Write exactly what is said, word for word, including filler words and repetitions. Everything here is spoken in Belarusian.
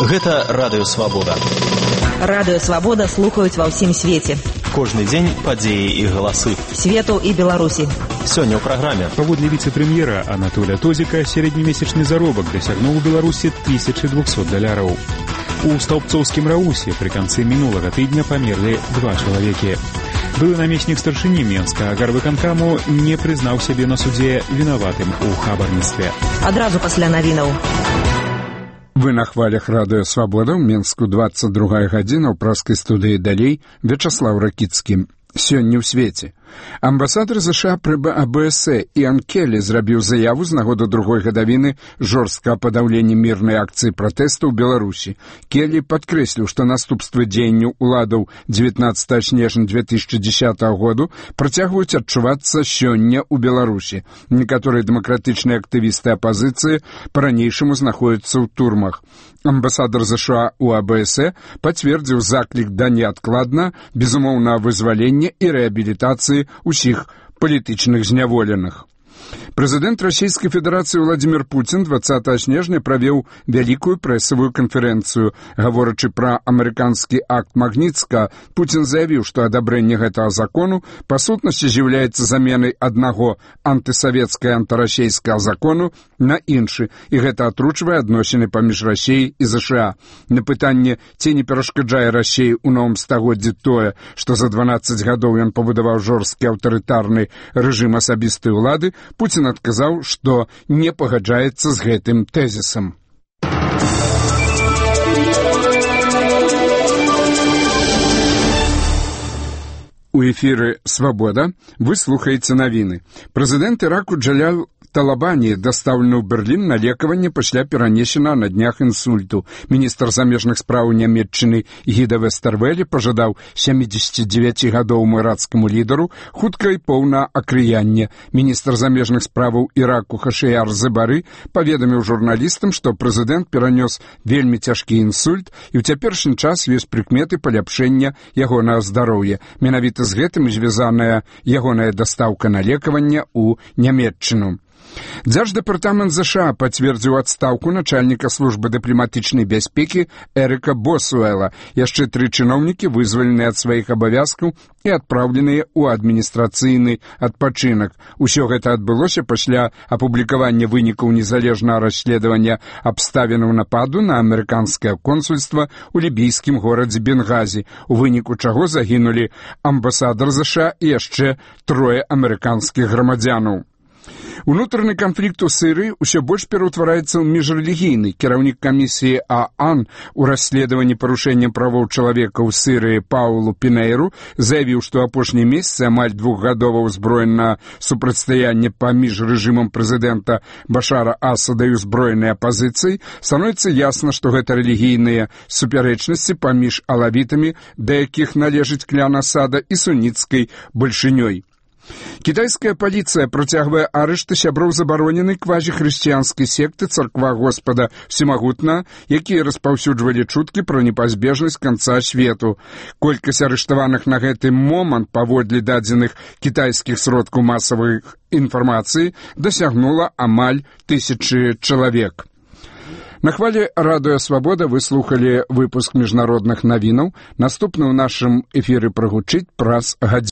Гэта Радыё Свабода. Радыё Свабода слухаюць ва ўсім свеце. Кожны дзень падзеі і галасы. Свету і Беларусі. Сёння ў праграме. Паводле віцэ-прэм'ера Анатолія Тозіка сярэднемесячны заробак дасягнуў у Беларусі тысяча двухсот даляраў. У Стаўбцоўскім Раусе пры канцы мінулага тыдня памерлі два чалавекі. Былы намеснік старшыні Менскага гарвыканкаму не прызнаў сябе на судзе вінаватым у хабарніцтве. Адразу пасля навінаў. Вы на хвалях Радыё Свабода, ў Менску двадцать другая гадзіна, ў праскай студыі далей Вячаслаў Ракіцкі. Сёння ў свеце. Амбасадар ЗША пры АБС Іан Келлі зрабіў заяву з нагоды другой гадавіны жорсткага падаўлення мірнай акцыі пратэсту ў Беларусі. Келлі падкрэсліў, што наступствы дзеянняў уладаў дзевятнаццатага снежня две тысячи десятого году працягваюць адчувацца сёння ў Беларусі. Некаторыя дэмакратычныя актывісты апазіцыі па-ранейшаму знаходзяцца ў турмах. Амбасадар ЗША у АБС пацвердзіў заклік да неадкладна, безумоўнага вызвалення і рэабілітацыі усіх палітычных зняволеных. Прэзідэнт Расійскай Федэрацыі Владзімір Пуцін двадцатага снежня правёў вялікую прэсавую канферэнцыю. Гаворачы пра амерыканскі акт Магніцка, Пуцін заявіў, што адабрэнне гэтага закону па сутнасці з'яўляецца заменай аднаго антысавецкага антырасейскага закону на іншы, і гэта атручвае адносіны паміж Расіяй і ЗША. На пытанне, ці не перашкаджае Расіі ў новым стагоддзі тое, што за дванаццаць гадоў ён пабудаваў жорсткі аўтарытарны рэжым асабістай улады, Пуцін адказаў, што не пагаджаецца з гэтым тэзісам. У эфіры «Свабода» вы слухаеце навіны. Прэзідэнт Іраку Джаляль Талабані дастаўлены ў Берлін на лекаванне пасля перанесена на днях інсульту. Міністр замежных спраў Нямецчыны Гіда Вестэрвэлі пажадаў сямідзесяцідзевяцігадоваму іракскаму лідару хутка і поўнага акрыяння. Міністр замежных справаў Іраку Хашыяр Зыбары паведаміў журналістам, што прэзідэнт перанёс вельмі цяжкі інсульт, і ў цяперашні час ёсць прыкметы паляпшэння ягонага здароўя. Менавіта з гэтым звязаная ягоная дастаўка на лекаванне ў Нямецчыну. Дзярждэпартамент ЗША пацвердзіў адстаўку начальніка службы дыпламатычнай бяспекі Эрыка Босуэла. Яшчэ тры чыноўнікі вызваленыя ад сваіх абавязкаў і адпраўленыя ў адміністрацыйны адпачынак. Усё гэта адбылося пасля апублікавання вынікаў незалежнага расследавання абставінаў нападу на амерыканскае консульства ў лібійскім горадзе Бенгазі, у выніку чаго загінулі амбасадар ЗША і яшчэ трое амерыканскіх грамадзянаў. Унутраны канфлікт у Сірыі ўсё больш пераўтвараецца ў міжрэлігійны. Кіраўнік камісіі ААН у расследаванні парушэння правоў чалавека ў Сірыі Паулу Пінейру заявіў, што апошнія месяцы амаль двухгадовае ўзброенае супрацьстаянне паміж рэжымам прэзідэнта Башара Асада і ўзброенай апазіцыяй становіцца ясна, што гэта рэлігійныя супярэчнасці паміж алавітамі, да якіх належыць клян Асада, і суніцкай бальшынёй. Кітайская паліцыя працягвае арышты сяброў забароненай квазіхрысціянскай секты Царква Господа Всемагутна, якія распаўсюджвалі чуткі пра непазбежнасць канца свету. Колькасць арыштаваных на гэты момант паводле дадзеных кітайскіх сродкаў масавай інфармацыі дасягнула амаль тысячы чалавек. На хвале Радыё Свабода вы слухалі выпуск міжнародных навінаў. Наступны ў нашым эфіры прагучыць праз гадзіну.